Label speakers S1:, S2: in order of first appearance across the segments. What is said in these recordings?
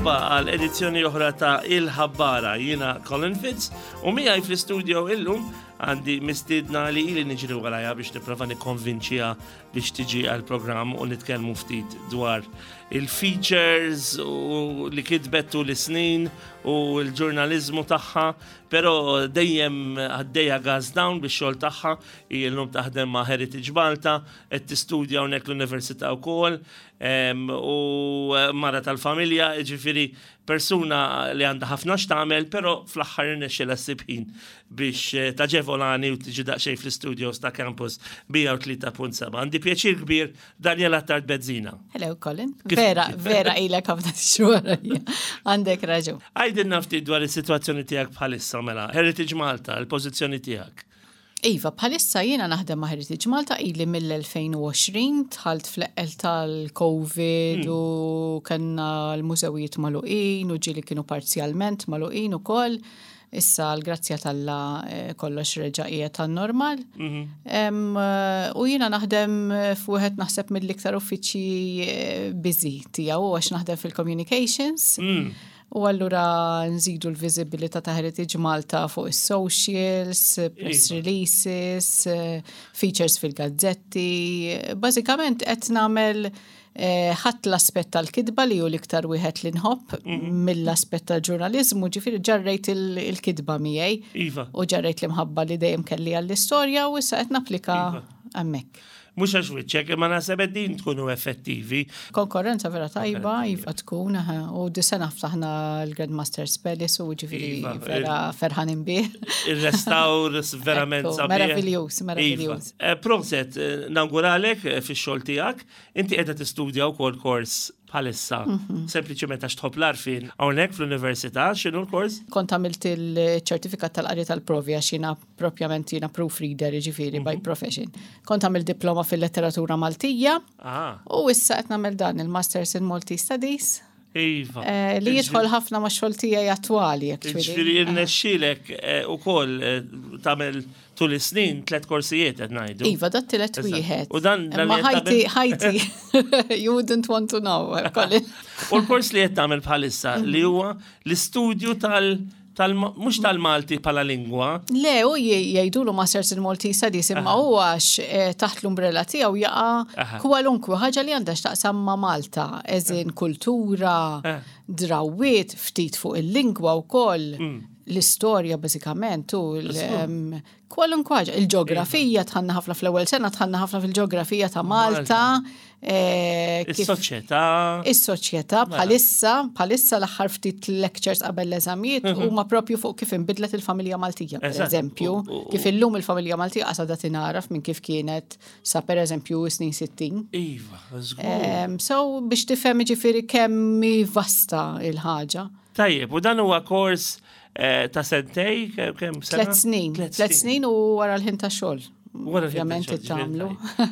S1: Merħba għal edizzjoni oħra ta' Il-Ħabbara. Jiena Colin Fitz u miegħi fl-istudio illum għandi mistiedna li ili niġri warajha biex nipprova nikkonvinċiha biex tiġi għal programm u nitkellmu ftit dwar il-features u li kitbet tul is-snin u l-ġurnaliżmu tagħha, però dejjem għaddejja gas down bix-xogħol tagħha, hi llum taħdem ma' Heritage Malta, qed tistudja hawnhekk l-università wkoll, u mara tal-familja, jiġifieri persuna li għandha ħafna x'tagħmel, però fl-aħħar irnexxielha ssib ħin biex eh, taġevolani u tiġi daqsxejn fl-istudios ta' Campus 103.7. Għandi pjaċir kbir Daniela Tard Bezzina.
S2: Hello, Colin. Vera, vera ilek ħafna xhur. Għandek raġun.
S1: Għajdilna ftit dwar is-sitwazzjoni tiegħek bħalissa mela. Heritage Malta, il-pożizzjoni tiegħek.
S2: Iva, bħalissa jiena naħdem ma' Heritage Malta ili mill-2020, dħalt fl-eqqel tal-Covid hmm. u kellna l-mużewijiet magħluqin u ġieli kienu parzjalment magħluqin ukoll. Issa l-grazzja t'Alla eh, kollox reġa' qiegħed tan-normal. Mhm. Eh, u jiena naħdem f'wieħed naħseb mill-iktar uffiċċji eh, busy tiegħu għax naħdem fil-communications. Mm. U allura nżidu l-viżibilità ta' Heritage Malta fuq is-socials, press iva. releases, features fil-gazzetti. Bażikament qed nagħmel eh, ħadd l-aspett tal-kitba li hu l-iktar wieħed li nħobb mhm. mill-aspett tal-ġurnaliżmu, ġifieri ġarrejt il-kitba miegħi.
S1: Iva.
S2: U ġarrejt l-imħabba li dejjem kelli għall-istorja u issa qed napplika iva. hemmhekk.
S1: Mhux għax wiċċek, imma naħseb qegħdin tkunu effettivi.
S2: Konkurrenza vera tajba, iva tkun, u di sena ftaħna l-Grandmaster Palace u ġifieri iva, vera ferħanin bih.
S1: Il-restawr verament sabiħ.
S2: Meraviljuż, meraviljuż.
S1: Iva. Eh, proset, eh, nawguralek eh, fix-xogħol tiegħek. Inti qiegħda tistudja wkoll kors bħalissa, mhm. sempliċement għax tħobb l-arfin hawnhekk fl-università, x'inhu l-kors?
S2: Kont għamilt il-ċertifikat tal-qari tal-provi għax jiena propjament jiena proofreader, jiġifieri by mhm. profession. Kont għamilt diploma fil-letteratura Maltija ah. u issa qed nagħmel dan il-Masters in Maltese Studies.
S1: Iva.
S2: Eh, li jidħol ħafna ma' xogħol tiegħi attwali.
S1: Ġifieri irnexxielek eh, ukoll eh, tagħmel tul is-snin tliet korsijiet qed ngħidu.
S2: Iva, dat tielet wieħed.
S1: U dan
S2: Ma ħajti, ħajti, you wouldn't want to know.
S1: U l-kors li qed tagħmel bħalissa li huwa l-istudju tal- Tal, mhux tal-Malti bħala lingwa.
S2: Le, u jgħidulu Masters in Maltese Studies imma hu għax eh, taħt l-umbrella tiegħu jaqa' kwalunkwe ħaġa li għandha x'taqsam ma' Malta, eżin kultura, eh. drawwiet, ftit fuq il-lingwa wkoll, mm. l-istorja bażikament u Kwalunkwe ħaġa. Il-ġeografija iva. tħanna ħafna fl-ewwel sena, tħanna ħafna fil-ġeografija ta' Malta.
S1: Eh, is-soċjetà.
S2: Is-soċjetà mela. bħalissa, bħalissa l-aħħar ftit lectures qabel l-eżamijiet mhm. huma propju fuq kif inbidlet il-familja Maltija, per eżempju, kif illum il-familja Maltija qasada tingħaraf minn kif kienet sa per eżempju snin 60.
S1: Iva, żgur.
S2: So biex tifhem ġifieri kemm vasta il-ħaġa.
S1: Tajjeb, u dan huwa kors eh, ta' sentej, kemm
S2: sena? Tlet snin. Tlet snin u wara l-ħin ta' xogħol. Ovvjament tagħmlu.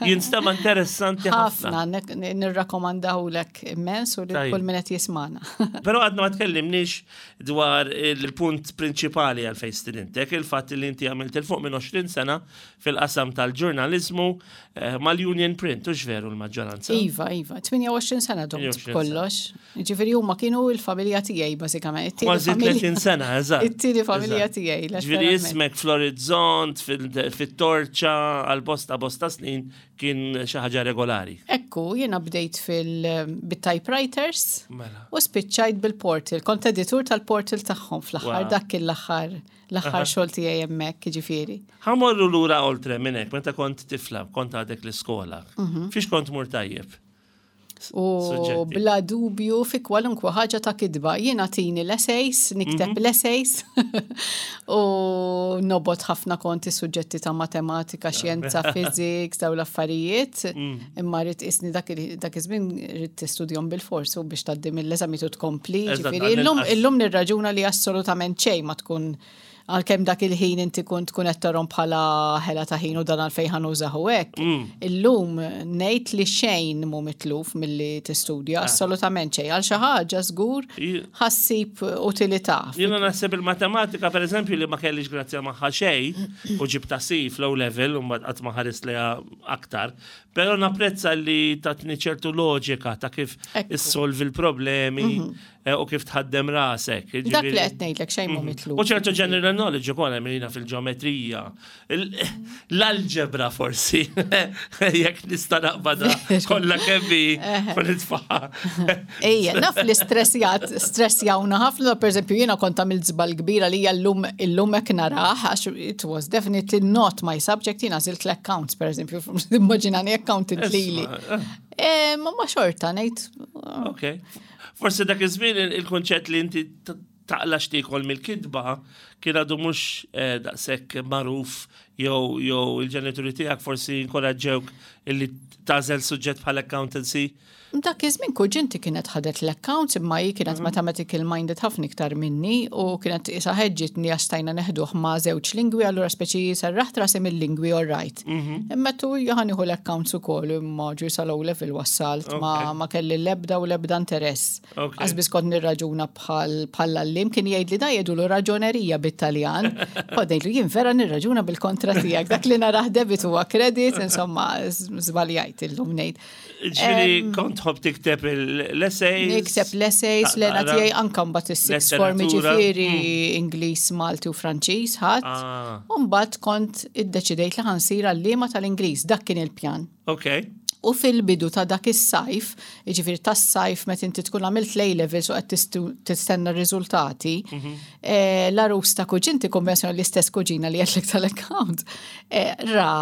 S1: Jinstema interessanti
S2: ħafna. Ħafna, nirrakkomandahulek immens u li kull min qed jismana.
S1: Però għadna ma tkellimniex dwar il-punt prinċipali għal fejn stidintek, il-fatt li inti għamilt il fuq minn 20 sena fil-qasam tal-ġurnaliżmu eh, mal-Union Print, u veru l-maġġoranza?
S2: Iva, iva, 28 sena domt kollox. Ġifieri huma kienu l-familja tiegħi bażikament.
S1: Kważi 30 sena, eżatt.
S2: It-tieni familja tiegħi.
S1: Ġifieri ismek fl-orizzont, fit-torċa, għal bosta bosta snin kien xi ħaġa regolari.
S2: Ekku, jiena bdejt fil-typewriters mela. u spiċċajt bil-portal. Kont editur tal-portal tagħhom fl-aħħar dak kien l-aħħar l-aħħar xogħol tiegħi hemmhekk, jiġifieri.
S1: Ħa mmorru lura oltre minn hekk, meta kont tifla, kont għadek l-iskola. Mhm. Fiex kont mur tajjeb?
S2: U bla dubju fi kwalunkwe ħaġa ta' kitba. Jiena tini l-essays, nikteb mhm. l-essays u nobot ħafna konti suġġetti ta' matematika, xjenza, physics, daw l-affarijiet. Mm. Imma rrid isni dak iż-żmien rrid tistudjom bil-fors u biex tgħaddi mill-eżami tu tkompli. Ġifieri illum illum nirraġuna li assolutament xejn ma tkun. Għalkemm dak il-ħin inti kont tkun qed tarhom bħala ħela ta' ħin u dan għalfejn ħa nużah u hekk. Illum ngħid li xejn mhu mitluf milli tistudja, assolutament xejn. Għal xi ħaġa żgur ħa ssib utilità.
S1: Jiena naħseb il-matematika, per eżempju, li ma kellix grazzja magħha xejn u ġibtha C fl-O level u mbagħad qatt ma ħarist lejha aktar. Però napprezza li tatni ċertu loġika ta' kif issolvi l-problemi u kif tħaddem rasek.
S2: Dak li qed ngħidlek xejn mhu mitluf.
S1: U ċertu general knowledge ukoll hemm jiena fil-ġeometrija. L-alġebra forsi, jekk nista' naqbadha kollha kemm hi u nitfaħħa.
S2: Ejja, naf li stressjat, stressjawna ħafna, pereżempju jiena kont għamilt żball kbira li hija llum illum hekk narah għax it was definitely not my subject jiena għażilt l-accounts pereżempju, immaġinani accountant lili. Ma ma xorta ngħid.
S1: Ok. Forsi dak iż-żmien il-kunċett li inti taqla x'tiekol mill-kitba kien għadu mhux eh, daqshekk magħruf jew jew il-ġenituri tiegħek forsi inkoraġġewk illi tagħżel suġġett bħal accountancy.
S2: Dak iż-żmien kuġinti kienet ħadet l-accounts imma hi kienet mhm. mathematical minded ħafna iktar minni u kienet isa ħeġġitni għax stajna neħduh ma' żewġ lingwi allura speċi serraħt rasi mill-lingwi all right. Mhm. Imma tu ħa nieħu l-accounts ukoll imma ġu sal-O level wassalt ma, ma kelli l-ebda u l-ebda interess. Għax biss kont nirraġuna bħal bħall-għalliem kien jgħid li da jgħidulu raġonerija bit-Taljan. Kont ngħidlu jien vera nirraġuna bil-kontra tiegħek dak li narah debit huwa kredit, insomma żbaljajt illum ngħid.
S1: Ġifieri kont tħobb tikteb l-essays.
S2: Nikteb l-essays, l-għena tiegħi anka mbagħad is-six form ġifieri mm. Ingliż, Malti u Franċiż ħadd. Ah. U mbagħad kont iddeċidejt li ħansir għalliema tal-Ingliż, dak kien il-pjan.
S1: Ok.
S2: U fil-bidu ta' dak is-sajf, jiġifieri tas-sajf meta inti tkun għamilt l-A levels u qed tistenna r-riżultati, mhm. eh, l-arus ta' kuġinti konvenzjoni l-istess kuġina li għedlek tal-account, eh, ra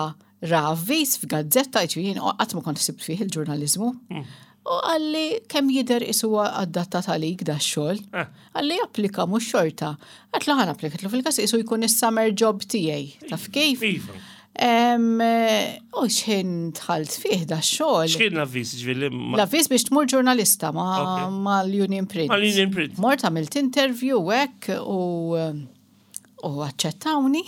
S2: Ra avviż f'gazzetta, jiġifieri jien qatt ma kont ħsibt fih il-ġurnaliżmu. Hmm. U qalli kemm jidher qisu adattat għalik da xogħol. Eh. Qalli applika mhux xorta. Għedtlu ħa napplika fil-każ qisu jkun is-summer job tiegħi. Taf kif?
S1: Iva.
S2: U xħin dħalt fih da xogħol.
S1: X'kien l-avviż ġifieri?
S2: L-avviż biex tmur ġurnalista ma' l-Union Print.
S1: Ma' l-Union Print.
S2: Mort għamilt interview hekk u u aċċettawni.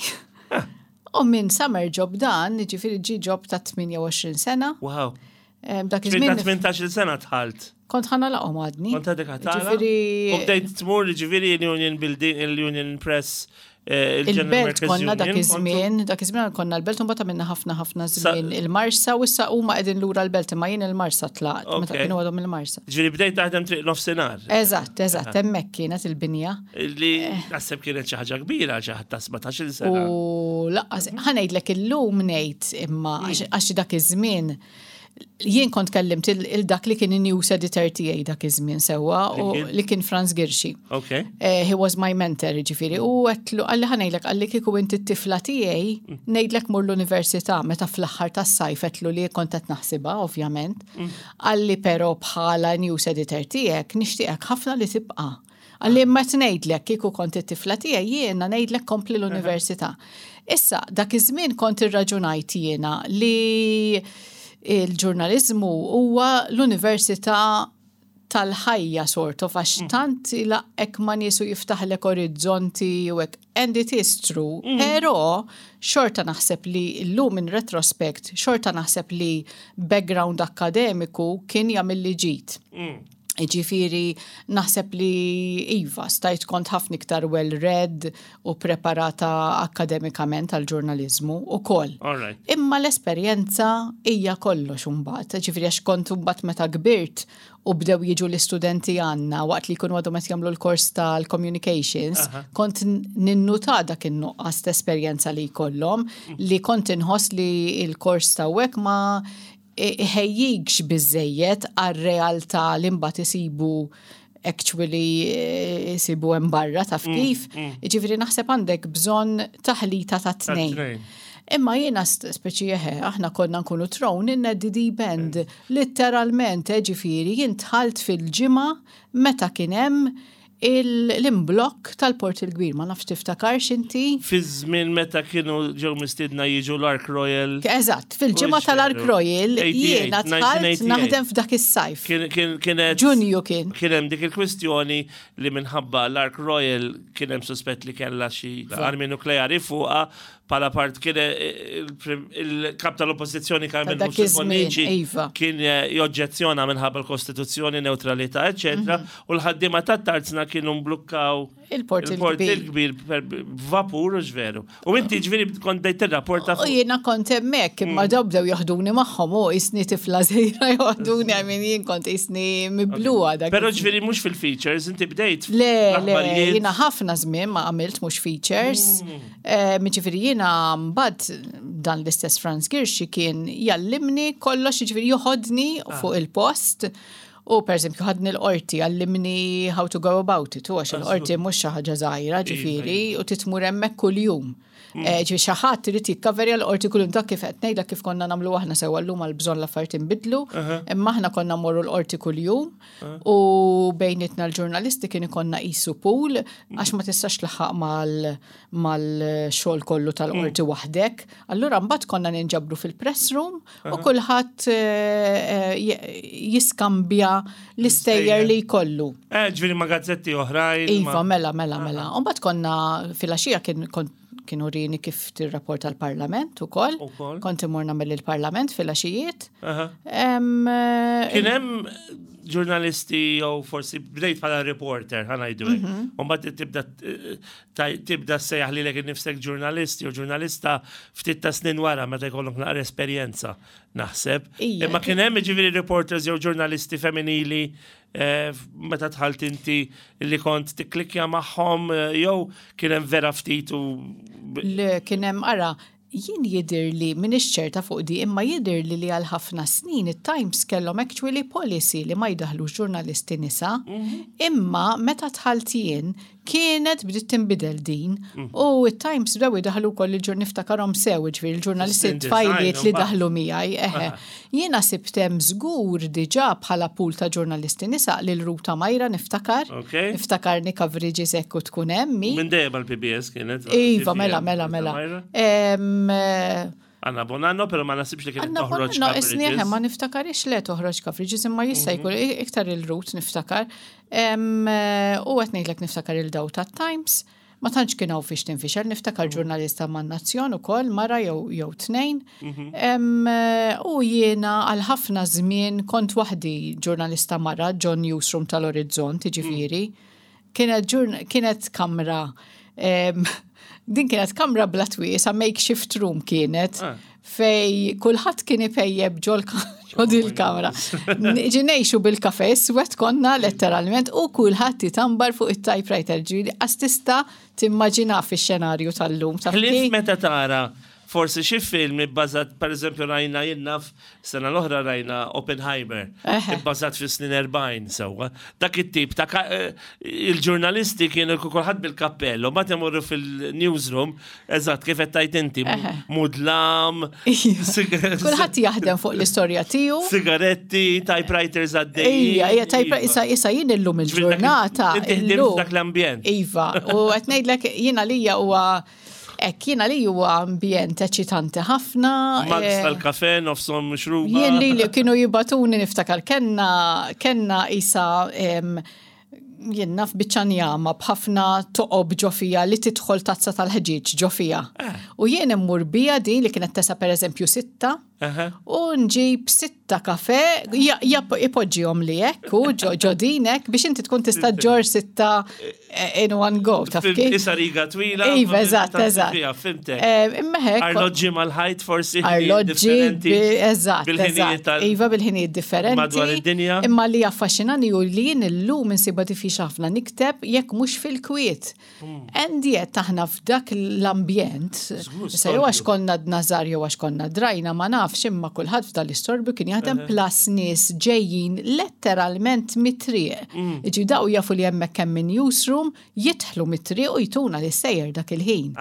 S2: Ah. U minn summer job dan, ġifieri ġi job ta' 28 sena.
S1: Wow. Dak iż-żmien. 18 sena dħalt.
S2: Kont ħa nagħlaqhom għadni.
S1: Kont għadek ħa tagħlaq. Ġifieri. U bdejt tmur ġifieri l-Union Building, l-Union Press
S2: Eh, Il-belt konna dak iż-żmien, dak iż-żmien konna l-belt u mbagħad għamilna ħafna ħafna żmien il-Marsa u issa huma qegħdin lura l-belt imma jien il-Marsa tlaqt meta kienu għadhom il-Marsa.
S1: Ġifieri bdejt taħdem triq nofsinhar.
S2: Eżatt, eżatt, hemmhekk kienet il-binja.
S1: Li naħseb kienet xi ħaġa kbira xi ħadd ta' 17-il sena.
S2: U laqqas ħa ngħidlek illum ngħid imma mm. għax dak iż-żmien jien kont kellimt il-dak li kien news editor tiegħi dak iż-żmien sewwa u li kien Franz Girxi.
S1: Okay.
S2: Eh, he was my mentor, ġifieri, u għedtlu qalli ħa ngħidlek qalli kieku inti t-tifla tiegħi mm. ngħidlek mur l-università meta fl-aħħar tas-sajf għedtlu li kont qed naħsibha ovvjament. Mm. Qalli però bħala news editor tiegħek nixtieqek ħafna li tibqa'. Qalli imma qed ngħidlek kieku kont it-tifla tiegħi jiena ngħidlek kompli l-università. Issa, dak iż-żmien kont irraġunajt jiena li il-ġurnaliżmu huwa l-università tal-ħajja sort of għax mm. tant ilaqqek ma' nies u jiftaħlek orizzonti u hekk. And it is true, mm. però xorta naħseb li llum in retrospect, xorta naħseb li background akkademiku kien jagħmilli ġid. Mm. Ġifiri, naħseb li iva, stajt kont ħafna iktar well-read u preparata akkademikament għal ġurnalizmu u koll. Imma l-esperjenza hija kollox imbagħad. Ġifiri, għax kont imbagħad meta kbirt u bdew jiġu l-istudenti għandna waqt li jkunu għadhom qed jagħmlu l-kors tal-communications, kont ninnuta dak in-nuqqas ta' esperjenza li jkollhom li kont inħoss li l-kors ta' ma iħejjikx biżżejjed għar-realtà li mbagħad isibu actually eh, isibu hemm barra taf mm, kif. Mm. Jiġifieri naħseb għandek bżonn taħlita ta' tnejn. Imma jiena speċi eħe, aħna konna nkunu thrown in the deep end. Mm. Litteralment, eh, ġifieri, jien dħalt fil-ġimgħa meta kien hemm l-imblokk tal-Port il-Kbir, ma nafx tiftakarx inti?
S1: Fi żmien meta kienu ġew mistiedna jiġu l-Ark Royal.
S2: Eżatt, fil-ġimgħa tal-Ark Royal jiena dħalt naħdem f'dak is-sajf.
S1: Kienet
S2: Ġunju kien.
S1: Kien hemm dik il-kwistjoni li minħabba l-Ark Royal kien hemm suspett li kellha xi armi nukleari fuqha Pala part kien eh, il-kap tal-oppożizzjoni Carmen Bonnici
S2: iva.
S1: kien eh, joġġezzjona minħabba l-Kostituzzjoni, neutralità, eċetera, mhm. u l-ħaddiema tat-tarzna kienu mblukkaw
S2: il-port
S1: il-kbir vapur u ġveru. U inti ġveri kont bdejt tirrapporta.
S2: U jiena kont hemmhekk imma mm. daw bdew joħduni magħhom u isni tifla żejra joħduni għamin jien kont isni mibluha
S1: dak. Però ġveri mhux fil-features, inti bdejt.
S2: Le, le, jiena ħafna żmien ma għamilt mhux features. Mm. Jiġifieri jiena mbagħad dan l-istess Franz Girxi kien jallimni kollox, jiġifieri joħodni ah. fuq il-post. U per eżempju ħadni l-qorti għallimni how to go about it, u għax il-qorti mhux xi ħaġa żgħira iva, ġifieri iva. u titmur hemmhekk kuljum. Mm. Eh, ġifieri xi ħadd irid jikkaverja l-qorti kuljum dak kif qed ngħidlek kif konna nagħmlu aħna sewwa llum għal bżonn l-affarijiet inbidlu, imma aħna konna mmorru l-qorti kuljum. U bejnietna l-ġurnalisti kien ikonna qisu pool għax ma tistax tlaħħaq mal-xogħol kollu tal-qorti mm. waħdek. Allura mbagħad konna ninġabru fil-press room u kulħadd eh, eh, jiskambja l-istejjer li jkollu.
S1: Eh, ġifieri ma' gazzetti oħrajn.
S2: Iva, mela, mela, mela. U mbagħad konna fil-għaxija kien kont kien urini kif tirrapporta l-Parlament ukoll. Kont imur nagħmel il-Parlament fil-għaxijiet.
S1: Eh, kien hemm ġurnalisti jew forsi bdejt bħala reporter ħa ngħidu hekk. Mhm. U mbagħad tibda tibda sejjaħ lilek innifsek ġurnalist jew ġurnalista ftit ta' snin wara meta jkollok naqra esperjenza naħseb. Imma kien hemm jiġifieri reporters jew ġurnalisti femminili Eh, meta dħalt inti li kont tikklikja magħhom eh, jew kien hemm vera ftit u.
S2: Le kien hemm ara, jien jidir li minix ċerta fuq di imma jidir li li għal ħafna snin it-Times kellhom actually policy li ma jdaħlux ġurnalisti nisa. Mhm. Imma meta dħalt jien Kienet bdiet tinbidel din mm. u it-Times bdew idaħlu wkoll il-ġur niftakarhom sew, ġifieri il-ġurnalisti tfajliet li daħlu miegħi. Eħe. Jiena sibt hemm żgur diġà bħala pool ta' ġurnalisti nisa lil Ruta Majra niftakar. Niftakarni coverage hekk u tkun hemm.
S1: Minn dejjem għall-PBS kienet.
S2: Iva, mela, mela, mela.
S1: Anna Bonanno, pero ma nasibx li kienet
S2: toħroġ. Anna isni ma niftakarix le toħroġ coverage, imma jista' mhm. jkun iktar il-rut niftakar. Eh, u qed ngħidlek niftakar il-daw tat-Times. Ma tantx kien hawn fiex tinfixel, niftakar mhm. ġurnalista man nazzjon ukoll mara jew jew tnejn. Mhm. Eh, u jiena għal ħafna żmien kont waħdi ġurnalista mara ġon Newsroom tal-Orizzont, jiġifieri. Kienet kienet kamra din kienet kamra bla twiesa makeshift room kienet ah. fej kulħadd kien ipejjeb ġol ġol il-kamra. Ġinejxu bil-kafe iswed konna letteralment u kulħadd jitambar fuq it-typewriter ġieli qas tista' timmaġina fix-xenarju tal-lum.
S1: Ħlief meta tara Forsi xi film ibbażat, pereżempju rajna jien naf, sena l-oħra rajna Oppenheimer, ibbażat fis-snin 40 sewwa. Dak it-tip ta' eh, il-ġurnalisti kienu kulħadd bil-kappell, u mbagħad imorru fil-newsroom, eżatt kif qed tgħid inti, mudlam.
S2: Kulħadd jaħdem fuq l-istorja tiegħu.
S1: Sigaretti, typewriters għaddej.
S2: Ija, ija, typewriter, issa issa jien illum il-ġurnata.
S1: Dak l-ambjent.
S2: Iva, u qed ngħidlek jiena lija huwa Hekk, jiena li huwa ambjent eċitanti ħafna.
S1: Mugs eh, tal-kafe, nofshom mixruba.
S2: Jien li li kienu jibatuni niftakar kenna kenna isa jien naf biċċa njama b'ħafna toqob ġo fija li tidħol tazza tal-ħġieġ ġo fija. Eh. U jien immur bija din li kienet tesa pereżempju sitta U nġib sitta kafe, ipoġġihom li hekk u ġodinek biex inti tkun tista' ġor sitta eh, in one go. Taf
S1: kif? Isa riga twila.
S2: Iva, eżatt, eżatt.
S1: Fimtek. Eh, imma hekk. Arloġġi mal-ħajt forsi.
S2: Arloġġi, eżatt, eżatt. Iva bil-ħinijiet differenti.
S1: Madwar id-dinja.
S2: Imma li affaxxinani u li jien illum insiba diffiċli ħafna nikteb jekk mhux fil-kwiet. And yet aħna f'dak l-ambjent, se jew għax konna dnażar jew għax konna drajna ma nafx. nafx imma kulħadd f'dan l-istorbju kien jaħdem plus nies ġejjin letteralment mit-triq. Iġi daw jafu li hemmhekk hemm min newsroom, jidħlu mit-triq u jtuna l-istejjer dak il-ħin.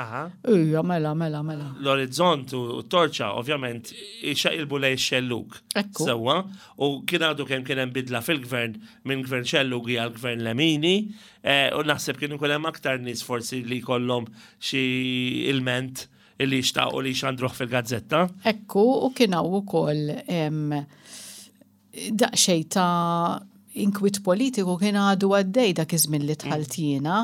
S2: Ija, mela, mela, mela.
S1: L-orizzont u t-torċa, ovvjament, ixaqilbu lejn ix-xellug.
S2: Ekku.
S1: Sewwa, u kien għadu kemm kien hemm bidla fil-gvern minn gvern xellugi għal gvern lemini, eh, u naħseb kien ikun hemm aktar nies forsi li jkollhom xi ilment illi jixtaqu li jxandruh fil-gazzetta.
S2: Ekku, u kien hawn ukoll daqsxejn ta' inkwiet politiku kien għadu għaddej dak iż-żmien li dħalt jiena.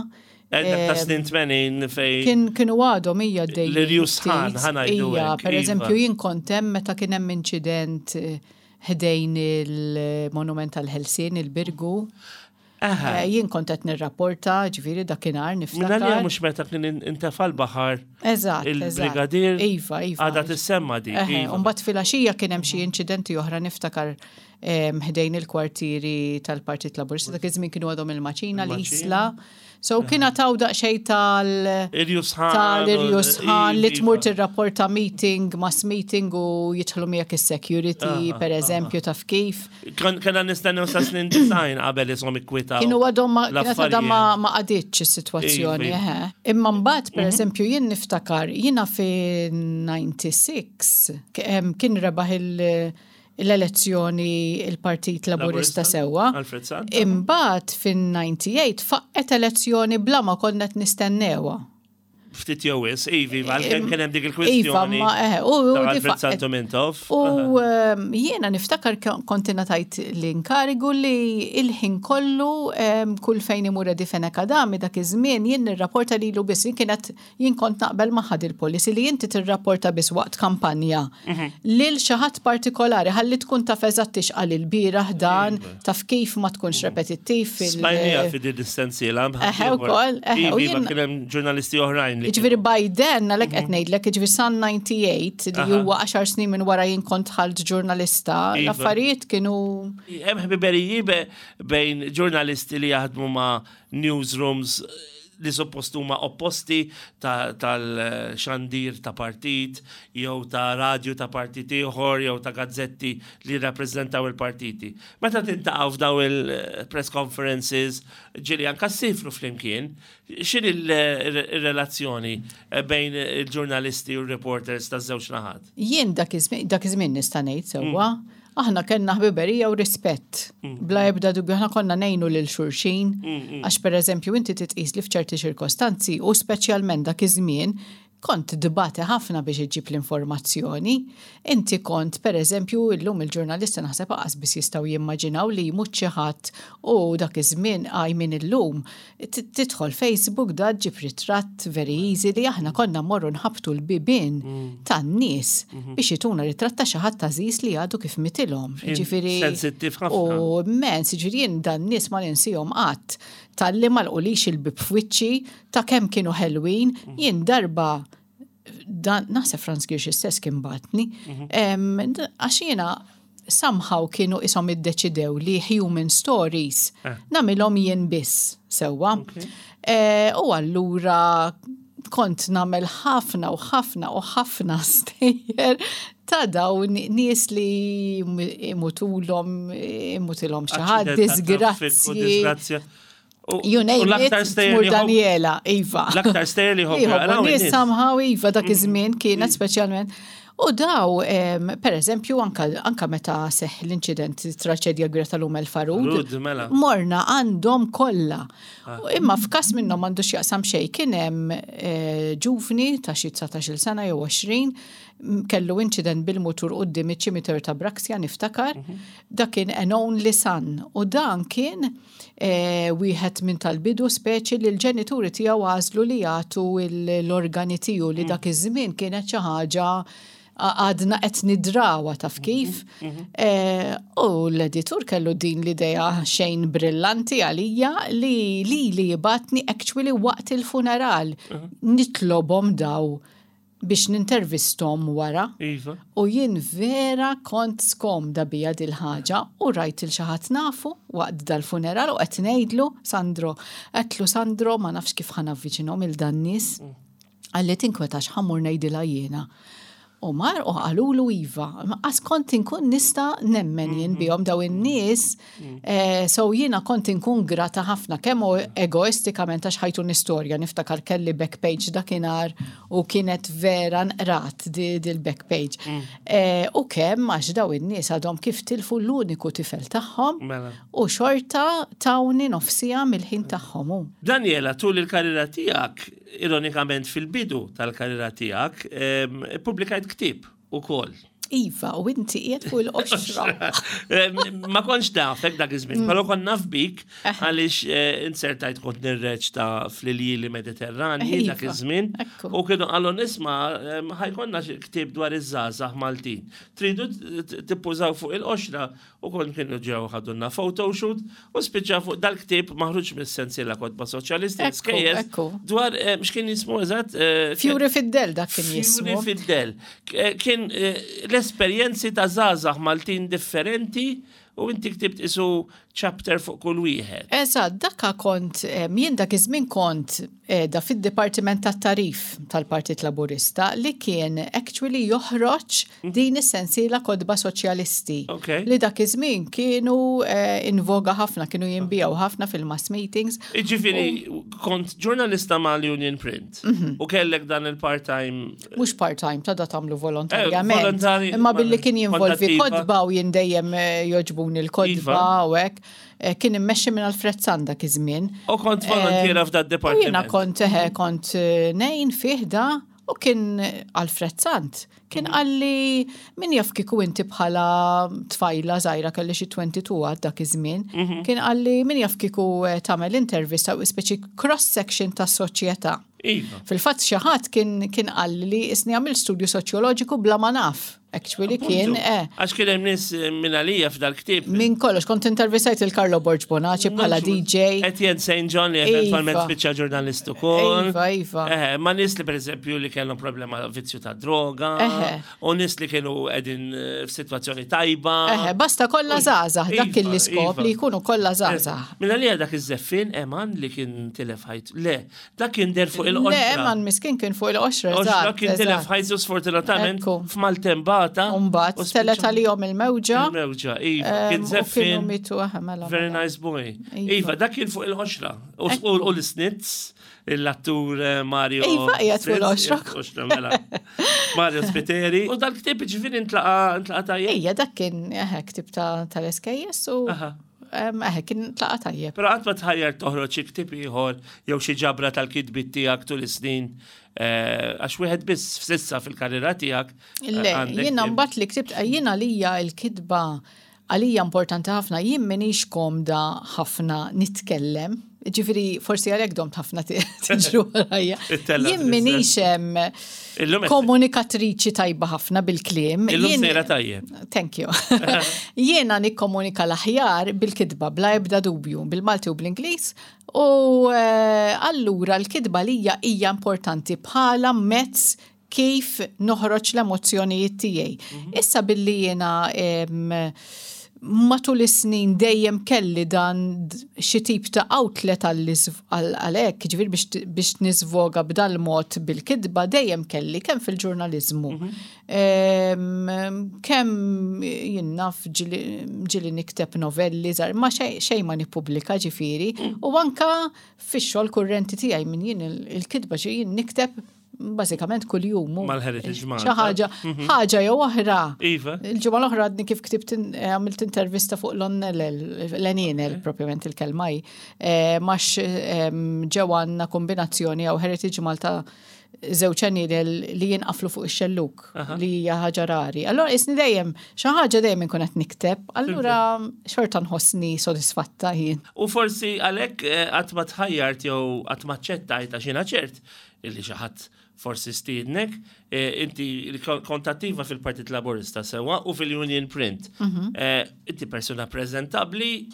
S1: Eh, dak ta' snin 80 fej.
S2: Kien kienu għadhom hija għaddejjin.
S1: L-irjus ħan, ħanajdu.
S2: Ija, per
S1: iva.
S2: eżempju, jien kont hemm meta kien hemm inċident eh, ħdejn il-Monument tal-Ħelsien, il-Birgu. Eh, jien kont qed nirrapporta, ġifieri dakinhar niftakar.
S1: Minna li mhux meta kien intefa' l-baħar.
S2: Eżatt.
S1: Il-brigadier.
S2: Iva, iva.
S1: Għadha tissemma dik.
S2: Iva. Mbagħad filgħaxija kien hemm xi inċidenti oħra niftakar ħdejn il-kwartieri tal-Partit Laburista dak iż-żmien kienu għadhom il-Maċina l-Isla. So kien għataw daqsxejn tal
S1: Irjusħan.
S2: Tal-irjusħan li tmur tirrapporta meeting, mass meeting u jidħlu miegħek is-security, per eżempju, taf kif.
S1: Kena nistennew sa snin design qabel isom ikkwitaw.
S2: Kienu għadhom ma kienet għadha ma ma qaditx is-sitwazzjoni,
S1: Iva.
S2: eħe. Imma mbagħad per eżempju jien niftakar jiena fi 96 kien rebaħ il- l-elezzjoni il-Partit Laburista sewwa.
S1: Alfred Sant.
S2: Imbagħad fin-98 faqqet elezzjoni bla ma konna qed nistennewha.
S1: Ftit jew wis, ivi, għalkemm kien hemm dik il-kwistjoni.
S2: Iva, ma eh, u
S1: ta'
S2: di
S1: Alfred
S2: faqqet.
S1: Santo Mintoff.
S2: U ehm, jiena niftakar kont ingħatajt l-inkarigu li il-ħin kollu ehm, kull fejn imur Eddie Fenech Adami dak iż-żmien jien nirrapporta lilu biss jien kienet Jien kont naqbel magħha dil-policy li inti tirrapporta biss waqt kampanja lil xi ħadd partikolari ħalli tkun taf eżatt x'qal ilbieraħ dan, taf kif ma tkunx repetittiv fil-
S1: Smajnija fi din is-sensiela.
S2: Eħe wkoll, eħe, u
S1: Iva,
S2: jien-
S1: kien hemm ġurnalisti oħrajn li.
S2: Jiġifieri by then, għalhekk qed ngħidlek, jiġifieri san 98 li huwa 10 snin minn wara jien kont dħalt ġurnalista,
S1: Iva.
S2: l-affarijiet kienu
S1: Hemm ħbiberiji bejn ġurnalisti li jaħdmu ma' newsrooms li suppost huma opposti tal-xandir ta' partit, jew ta' radju ta' partit ieħor, jew ta' gazzetti li jirrappreżentaw il-partiti. Meta tintaqgħu f'daw il-press conferences, ġieli anka ssifru flimkien, x'inhi r-relazzjoni bejn il-ġurnalisti u r-reporters taż-żewġ naħat?
S2: Jien dak iż-żmien nista' ngħid sewwa, Aħna kellna ħbiberija u rispett. Bla ebda dubju aħna konna ngħinu lil xulxin għax pereżempju inti titqis li f'ċerti ċirkostanzi u speċjalment dak iż-żmien kont tbati ħafna biex iġġib l-informazzjoni. Inti kont pereżempju illum il-ġurnalisti naħseb aqas biss jistgħu jimmaġinaw li jmut xi ħadd u dak iż-żmien I mean illum Tidħol Facebook da ġġib ritratt very easy li aħna konna mmorru nħabbtu l-bibien mm. tan-nies mhm. biex jituna ritratt ta' xi ħadd għażiż li għadu kif mitilhom.
S1: Ġifieri sensittiv ħafna.
S2: U immens, ġifieri jien dan nies ma ninsihom qatt talli ma lqulix il-bib f'wiċċi ta' kemm kienu ħelwin, mhm. jien darba dan naħseb Franz Girx istess kien batni, mhm. għax jiena somehow kienu isom iddeċidew li human stories eh. namilhom jien biss sewwa. Eh, u allura kont namel ħafna u ħafna u ħafna stejjer ta' dawn nies li imutulhom imutilhom xi ħadd disgrazzji. You name it, tmur Daniela, Iva.
S1: L-aktar stejjer li
S2: jħobbu. Nies somehow, Iva, dak iż-żmien kienet speċjalment. U daw, per eżempju, anka meta seħ l-inċident traċedja kbira tal-Umel Farud,
S1: mela.
S2: morna għandhom kollha. Ah. Imma f'kas minnhom għandu x'jaqsam xejn kien hemm eh, ġuvni ta' xi 19-il sena jew 20 kellu inċident bil-mutur quddiem iċ-ċimiterju ta' Braxia niftakar, mhm. dak kien an only son u dan kien eh, wieħed minn tal-bidu speċi li l-ġenituri tiegħu għażlu li jagħtu l-organi tiegħu li mm. dak iż-żmien kienet xi ħaġa għadna qed nidrawa taf mhm, kif. Mhm. Eh, u l-editur kellu din l-idea xejn brillanti għalija li li li jibatni actually waqt il-funeral. Mhm. Nitlobhom daw biex nintervisthom wara.
S1: Iva.
S2: U jien vera kont skomda bija dil-ħaġa u rajt il xi ħadd nafu waqt dal-funeral u qed ngħidlu Sandro, għedtlu Sandro ma nafx kif ħa navviċinhom il dan nies. Mm. Qalli tinkwetax ħa mmur ngħidilha jiena. U mar u qalulu iva. Għas kont inkun nista' nemmen jien bihom daw in-nies, so jiena kont inkun grata ħafna kemm egoistikament għax ħajtuni storja, niftakar kelli back page dakinhar u kienet vera nqrat dil-back page. U kemm għax daw in-nies għadhom kif tilfu l-uniku tifel tagħhom u xorta tawni nofsija mill-ħin tagħhom.
S1: Daniela, tul il-karriera tiegħek, ironikament fil-bidu tal-karriera tiegħek, ippubblikajt ktieb ukoll.
S2: Iva, u inti qiegħed fuq il-qoxra.
S1: Ma kontx nafek dak iż-żmien, però kont naf bik għaliex insertajt kont nirreċta fl-iljieli Mediterranji dak iż-żmien u kienu qalu nisma' ħajkonna ktieb dwar iż-żgħażagħ Maltin. Tridu tippużaw fuq il-qoxra U kont kienu ġew ħadulna photoshoot u spiċċa fuq dal-ktieb maħruġ mis-sensiela kotba soċjalisti skejjel dwar eh, x'kien jismu eżatt.
S2: Eh, Fjuri fid-del dak kien jismu.
S1: Fjuri fid-del. Eh, kien l-esperjenzi ta' żgħażagħ Maltin differenti u inti ktibt isu chapter fuq kull wieħed.
S2: Eżatt, dakka kont jien dak iż-żmien kont qiegħda fid-Dipartiment tat-Tagħrif tal-Partit Laburista li kien actually joħroġ din is-sensiela kotba soċjalisti li dak iż-żmien kienu in voga ħafna, kienu jinbiegħu ħafna fil-mass meetings.
S1: Jiġifieri kont ġurnalista mal-Union Print u kellek dan il-part-time.
S2: Mhux part-time, ta' da tagħmlu volontarjament. Imma billi kien jinvolvi kotba u jien dejjem jogħġbuni l-kotba u hekk. Kien immexxi minn Alfred Sant dak iż-żmien.
S1: U kont volontiera f'da departiment.
S2: Jiena kont kont ngħin fih da u kien Alfred Sant kien qalli min jaf kieku inti bħala tfajla żgħira kelli xi 22 għad dak iż-żmien, kien qalli min jaf kieku tagħmel intervista u speċi cross section tas-soċjetà.
S1: Iva.
S2: Fil-fatt xi ħadd kien kien qalli li isni għamil studju soċjoloġiku bla ma naf. Actually kien, eh.
S1: Għax kien hemm nies minn għalija f'dal-ktieb.
S2: Minn kollox, kont intervistajt il-Carlo Borg Bonaci bħala DJ.
S1: Etienne St. John li eventwalment spiċċa ġurnalist ukoll.
S2: Iva, iva.
S1: Eh, ma nies li pereżempju li kellhom problema vizzju ta' droga. U nies li kienu qegħdin f'sitwazzjoni tajba.
S2: Eħe, basta kollha żgħażagħ, dak kien l-iskop li jkunu kollha żgħażagħ.
S1: Minn għalija dak iż-żeffien Eman li kien tilef ħajtu. Le, Dak kien der fuq il-qoxra.
S2: Le, man miskin kien fuq il-qoxra.
S1: Qoxra kien tilef ħajtu sfortunatament f'maltembata.
S2: Umbat, telet għalihom il-mewġa.
S1: Il-mewġa, iva. Kien
S2: zeffin. Mitu, mela.
S1: Very
S2: mela.
S1: nice boy. Iva, dak kien fuq il-qoxra. U l-snitz, l-attur eh, Mario.
S2: Iva, qiegħed fuq il-qoxra.
S1: Mela. Mario Spiteri. U dal-ktib ġifieri ntlaqa tajjeb.
S2: Ejja, dak kien eh, ktib tal-SKS u. Eħe, kien tlaqa tajjeb.
S1: Però qatt ma tħajjar toħroġ xi ktieb ieħor jew xi ġabra tal-kitbiet tiegħek tul is-snin eh, għax wieħed biss f'sissa fil-karriera tiegħek.
S2: Eh, Le, jiena mbagħad li ktibt eh, jiena għalija l-kitba għalija importanti ħafna, jien minix komda ħafna nitkellem. Ġifiri, forsi għalhekk domt ħafna tiġru għalajja. Jien minix komunikatriċi tajba ħafna bil-kliem.
S1: Illum sejra tajjeb.
S2: Thank you. Jiena nikkomunika l-aħjar bil-kitba bla ebda dubju, bil-Malti u bl-Ingliż. U eh, allura l-kitba lija hija importanti bħala mezz kif noħroġ l-emozzjonijiet tiegħi. Mhm. Issa billi jiena matul is-snin dejjem kelli dan xi tip ta' outlet għalhekk, ġifieri biex nisvoga b'dal-mod bil-kitba dejjem kelli kemm fil-ġurnaliżmu. Mhm. Kemm jien naf ġieli nikteb novelli żgħar, ma xejn ma nippubblika ġifieri, mm. u anka fix-xogħol kurrenti tiegħi minn jien il-kitba ġi jien nikteb bażikament kuljum.
S1: Mal-Heritage Malta.
S2: Xi ħaġa, mhm. ħaġa jew oħra.
S1: Iva.
S2: Il-ġimgħa l-oħra għadni kif ktibt eh, għamilt intervista fuq l-onnelel, l-enienel propjament il-kelma hi, eh, max ehm, ġew għandna kombinazzjoni jew Heritage Malta żewġ enienel li jinqaflu fuq ix-xelluk li hija ħaġa rari. Allora isni dejjem xi ħaġa dejjem inkun qed nikteb, allura xorta nħossni sodisfatta jien.
S1: U forsi għalhekk eh, qatt ma tħajjart jew qatt ma ċċettajt għax jiena ċert illi xi ħadd forsi stiednek, eh, inti kont attiva fil-Partit Laburista sewwa u fil-Union Print. Mhm. Eh, inti persuna preżentabbli,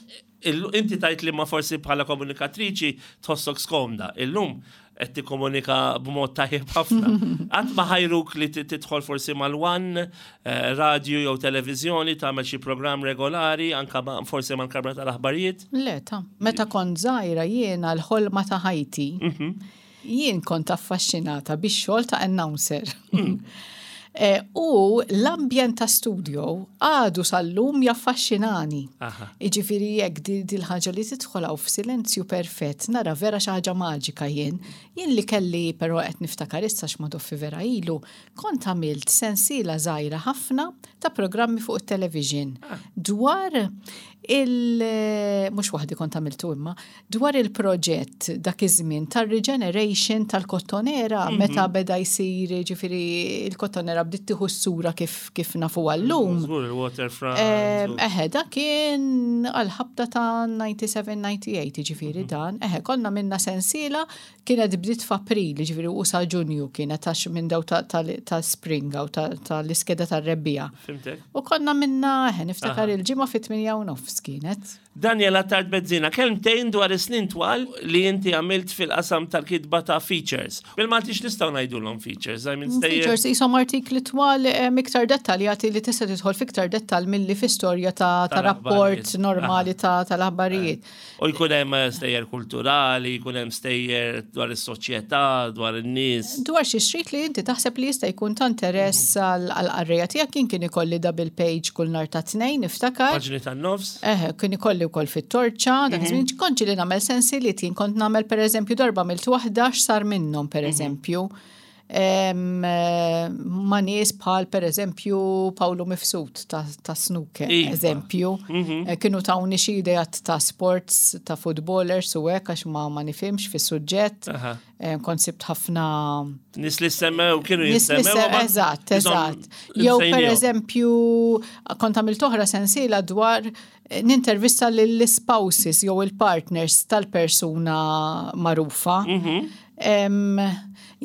S1: inti tajt li ma forsi bħala komunikatriċi tħossok skomda. Illum qed tikkomunika b'mod tajjeb ħafna. Qatt ma ħajruk li tidħol forsi mal-one, eh, radio jew televiżjoni, tagħmel xi programm regolari, anka forsi mal-kamra tal-aħbarijiet?
S2: Le, ta' meta kont żgħira jiena l-ħolma ta' ħajti. Mhm. Jien kont affaxxinata bix-xogħol ta' announcer. Eh, u l-ambjent ta' studio għadu sal-lum jaffaxxinani. Iġifieri jekk dil-ħaġa li tidħol hawn f'silenzju perfett, nara vera xi ħaġa maġika jien. Jien li kelli però qed niftakar issa x'madoffi vera ilu, kont għamilt sensiela żgħira ħafna ta' programmi fuq it-television ah. dwar il mhux waħdi kont għamiltu imma dwar il-proġett dak iż-żmien tar-regeneration tal-kottonera mm -hmm. meta beda jsir ġifieri il-kottonera bdiet tieħu s-sura kif kif nafu għallum.
S1: Żgur il-waterfront.
S2: Eħe, dak kien għal-ħabta ta' 97-98 ġifieri mhm. dan. Eħe, konna minna sensiela Kienet bdiet f'April, jiġifieri u sa Ġunju kienet għax minn daw ta' spring u tal-iskeda tar-rebbiegħa.
S1: Fimtek.
S2: U konna minna, eħe, niftakar il-ġimgħa fit-8 u nofs kienet.
S1: Daniel Attard Bezzina, kelmtejn dwar is-snin twal li inti għamilt fil-qasam tal-kitba ta' features. Bil-Malti x'nistgħu ngħidulhom features? I mean, stejjer.
S2: Features qishom artikli twal iktar dettaljati li tista' tidħol f'iktar dettall milli fi storja ta' rapport normali tal-aħbarijiet.
S1: U jkun hemm eh, stejjer kulturali, jkun hemm stejjer dwar is-soċjetà, dwar in-nies.
S2: Dwar xi xrit li inti taħseb li jista' jkun ta' interess mhm. għall-qarrejja tiegħek jien kien ikolli double page kull nhar ta' tnejn niftakar.
S1: Paġni tan-nofs.
S2: Eh, kien ikolli wkoll fit-torċa, dak mhm. iż-żmien kontx li nagħmel sensi li jien kont nagħmel pereżempju darba milt waħda x'sar minnhom pereżempju. Mhm. Ma' nies bħal per eżempju Pawlu Mifsud ta' snooker, iva. eżempju, mhm. eh, kienu tawni xi ideat ta' sports, ta' footballers u hekk għax ma ma nifhimx fis-suġġett. Kont sibt ħafna
S1: Nis li semmew kienu jissemmew.
S2: Eżatt, eżatt. Jew per eżempju, kont għamilt oħra sensiela dwar eh, nintervista lill-spouses jew il-partners tal-persuna magħrufa. Mhm.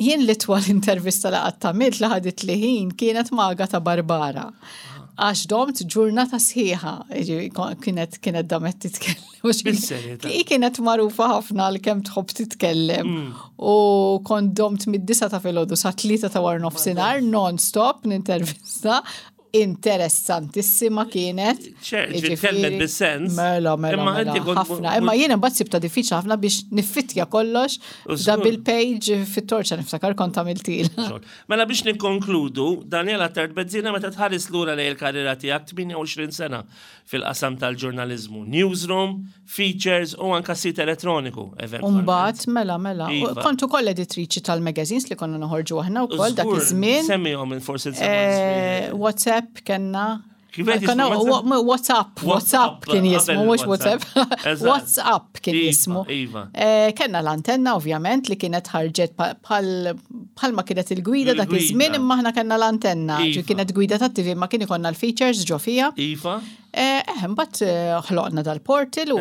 S2: Jien l-itwal intervista li qatt għamilt li ħadit li ħin kienet ma' Agata Barbara. Għax domt ġurnata sħiħa, kienet kienet damet titkellem. Hi kienet magħrufa ħafna għal kemm tħobb titkellem. Mm. U kont domt mid-disa ta' filgħodu sa tlieta ta' war nofsinhar non-stop nintervista interessantissima kienet.
S1: Ġifieri bis-sens.
S2: Mela, mela, mela, ħafna. Imma jiena mbagħad sibta diffiċli ħafna biex niffitja kollox double page fit-torċa niftakar kont għamiltil.
S1: Mela biex nikkonkludu, Daniela Tert Bezzina meta tħares lura lejn il-karriera tiegħek 28 sena fil-qasam tal-ġurnaliżmu, newsroom, features u anka sit elettroniku,
S2: eventualment. Umbagħad, mela, mela. Iva. Kont ukoll editriċi tal-magazines li konna noħorġu aħna wkoll dak iż-żmien.
S1: Semmihom forsi
S2: eh, WhatsApp kellna. WhatsApp, WhatsApp kien jismu, mhux WhatsApp. WhatsApp kien iva, jismu.
S1: Iva.
S2: Eh, kenna l-antenna ovvjament li kienet ħarġet bħalma kienet il-gwida dak iż-żmien imma aħna kellna l-antenna. Iva. Kienet gwida tat-TV ma kien ikollna l-features ġo fija.
S1: Iva.
S2: Eh, eh, mbagħad eh, ħloqna dal-portal u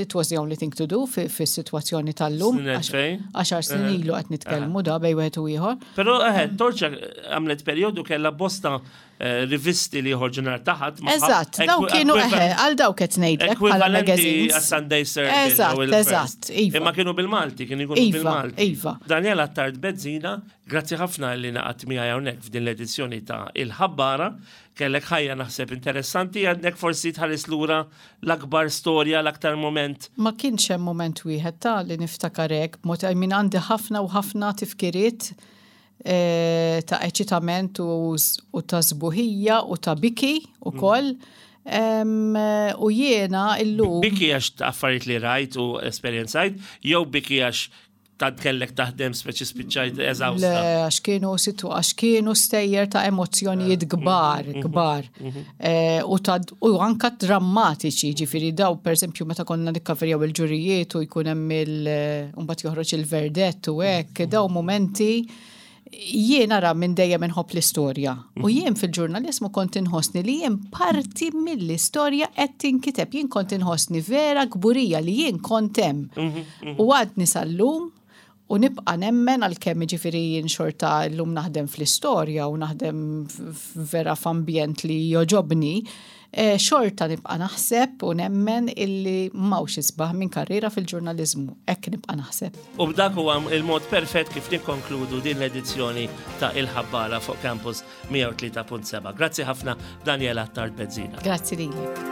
S2: it was the only thing to do fis-sitwazzjoni tal-lum. Għaxar snin ilu qed nitkellmu da bej wieħed u ieħor.
S1: Però eħe, Torċa għamlet perjodu kellha bosta rivisti li joħorġu nhar taħat.
S2: Eżatt, daw kienu eħe, għal daw qed ngħidlek
S1: bħala magazines. Sunday Circle.
S2: Eżatt, eżatt,
S1: iva. Imma kienu bil-Malti, kienu jkunu
S2: iva,
S1: bil-Malti.
S2: Iva.
S1: Daniela Tard Bezzina, grazzi ħafna li naqat miegħi hawnhekk f'din l-edizzjoni ta' Il-Ħabbara. Kellek ħajja naħseb interessanti, għandek forsi tħares lura l-akbar storja, l-aktar mument.
S2: Ma kienx hemm mument wieħed ta' li niftakar hekk b'mod, I mean għandi ħafna u ħafna tifkiriet ta' eċitament u ta' sbuħija u ta' biki ukoll. U jiena illum.
S1: Biki għax ta' affarijiet li rajt u esperjenzajt, jew biki għax tant kellek taħdem speċi spiċċajt eżawsta.
S2: Le, għax kienu situ, għax kienu stejjer ta' emozzjonijiet eh, kbar, mhm, kbar. Mhm. Eh, u ta' u anka drammatiċi, ġifieri daw pereżempju meta konna nikkaverjaw il-ġurijiet u jkun hemm il eh, mbagħad joħroġ il-verdett u hekk, daw momenti jien ara minn dejjem inħobb l-istorja. U mhm. jien fil-ġurnalizmu kont inħossni li jien parti mill-istorja qed tinkiteb. Jien kont inħossni vera kburija li jien kont hemm. Mhm, mhm. U għadni sal-lum u nibqa' nemmen għalkemm jiġifieri jien xorta llum naħdem fl-istorja u naħdem vera f'ambjent li jogħġobni, eh, xorta nibqa' naħseb u nemmen illi m'hawnx isbaħ minn karriera fil-ġurnaliżmu. Hekk nibqa' naħseb.
S1: U b'dak huwa il-mod perfett kif nikkonkludu din l-edizzjoni ta' Il-Ħabbara fuq Campus 103.7. Grazzi ħafna Daniela Attard Bezzina.
S2: Grazzi lilek.